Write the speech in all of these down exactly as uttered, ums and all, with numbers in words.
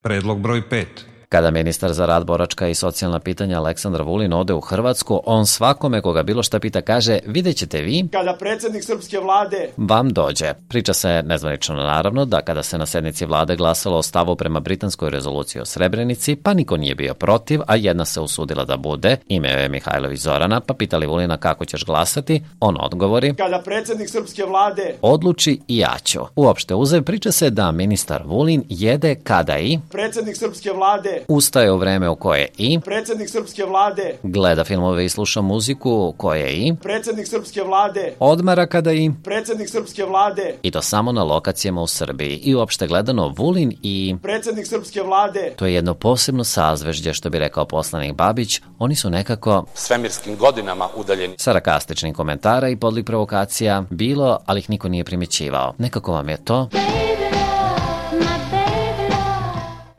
Predlog broj pet. Kada ministar za rad, boračka i socijalna pitanja Aleksandar Vulin ode u Hrvatsku, on svakome koga bilo šta pita kaže: vidjet ćete vi kada predsjednik srpske vlade vam dođe. Priča se nezvanično naravno da kada se na sednici vlade glasalo o stavu prema britanskoj rezoluciji o Srebrenici, pa niko nije bio protiv, a jedna se usudila da bude, ime je Mihajlović Zorana, pa pitali Vulina kako ćeš glasati, on odgovori: kada predsjednik srpske vlade odluči i ja ću. Uopšte uzev, priča se da ministar Vulin jede kada i predsjednik srpske vlade ustaje u vreme u koje i predsjednik srpske vlade gleda filmove i sluša muziku koje i predsjednik srpske vlade odmara kada i predsjednik srpske vlade i to samo na lokacijama u Srbiji. I uopšte gledano Vulin i predsjednik srpske vlade to je jedno posebno sazvežđe, što bi rekao poslanik Babić, oni su nekako svemirskim godinama udaljeni. Sarkastičnih komentara i podlik provokacija bilo, ali ih niko nije primjećivao. Nekako vam je to...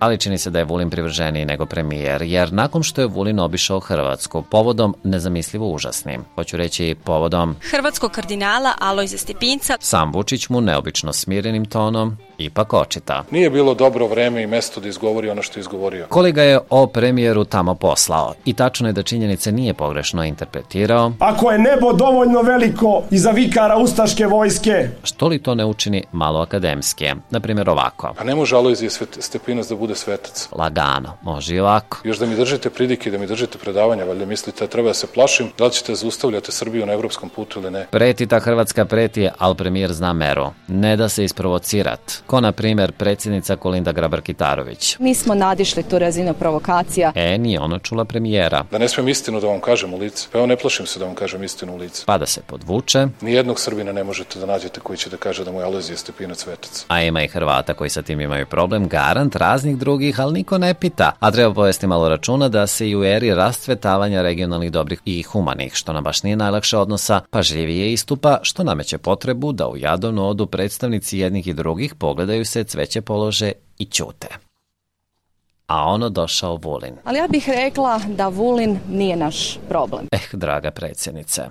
Ali čini se da je Vulin privrženiji nego premijer, jer nakon što je Vulin obišao Hrvatsku povodom nezamislivo užasnim, hoću reći povodom hrvatskog kardinala Alojza Stepinca, sam Vučić mu neobično smirenim tonom ipak očita: nije bilo dobro vreme i mesto da izgovori ono što je izgovorio. Kolega ga je o premijeru tamo poslao i tačno je da činjenice nije pogrešno interpretirao. Ako je nebo dovoljno veliko i za vikara ustaške vojske, što li to ne učini malo akademski? Na primjer ovako: a ne može Alojzije Stepinac da bude svetac. Lagano, može i ovako. Još da mi držite pridike, da mi držite predavanja, valjda mislite treba da se plašim, da li ćete zaustavljati Srbiju na evropskom putu ili ne? Preti ta Hrvatska preti, ali premijer zna meru. Ne da se isprovocirat. Ko na primjer predsjednica Kolinda Grabar-Kitarović. Nismo nadišli tu razinu provokacija. E, nije ona čula premijera. Da ne smijem istinu da vam kažem u lice. Pa evo ne plašim se da vam kažem istinu u lice. Pa da se podvuče. Nijednog Srbina ne možete da nađete koji će da kaže da mu je Alojzije Stepinac svetac. A ima i Hrvata koji sa tim imaju problem, garant raznih drugih, ali niko ne pita. A treba povesti malo računa da se i u eri rastvetavanja regionalnih dobrih i humanih, što nam baš nije najlakše odnosa, pažljivije istupa, što nameće potrebu da u Jadovnu odu predstavnici jednih i drugih, pogledaju se, cveće polože i ćute. A ono došao Vulin. Ali ja bih rekla da Vulin nije naš problem. Eh, draga predsjednice.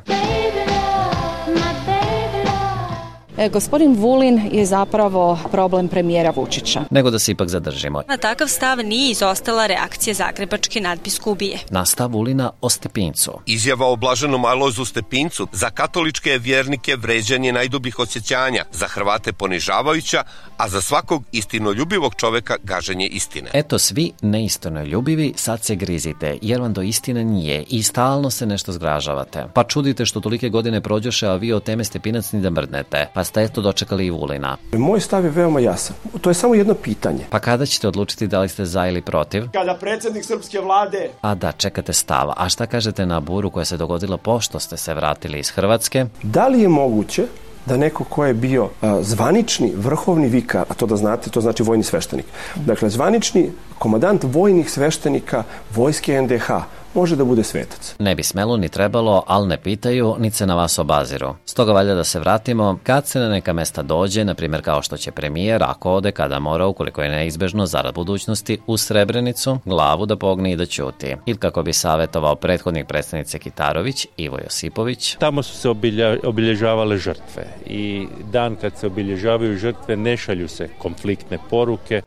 E, gospodin Vulin je zapravo problem premijera Vučića. Nego da se ipak zadržimo. Na takav stav nije izostala reakcija zagrebačke nadbiskupije. Na stav Vulina o Stepincu. Izjava o blaženom Alojzu Stepincu za katoličke vjernike vređanje najdubljih osjećanja, za Hrvate ponižavajuća, a za svakog istinoljubivog čoveka gaženje istine. Eto, svi neistinoljubivi sad se grizite, jer vam do istine nije i stalno se nešto zgražavate. Pa čudite što tolike godine prođoše, a vi o teme Stepinac ni da mrdnete. Pa ste eto dočekali i Vulina. Moj stav je veoma jasan. To je samo jedno pitanje. Pa kada ćete odlučiti da li ste za ili protiv? Kada predsjednik srpske vlade... A da, čekate stava. A šta kažete na buru koja se dogodila pošto ste se vratili iz Hrvatske? Da li je moguće da neko ko je bio a, zvanični vrhovni vikar, a to da znate, to znači vojni sveštenik. Dakle, zvanični komandant vojnih sveštenika vojske en de ha može da bude svetac. Ne bi smelo ni trebalo, ali ne pitaju, niti se na vas obaziru. Stoga valja da se vratimo kad se na neka mesta dođe, na primjer kao što će premijer, ako ode, kada mora, ukoliko je neizbežno zarad budućnosti, u Srebrenicu, glavu da pogne i da ćuti. Ili kako bi savjetovao prethodnik predsjednice Kitarović, Ivo Josipović. Tamo su se obilja, obilježavale žrtve i dan kad se obilježavaju žrtve ne šalju se konfliktne poruke.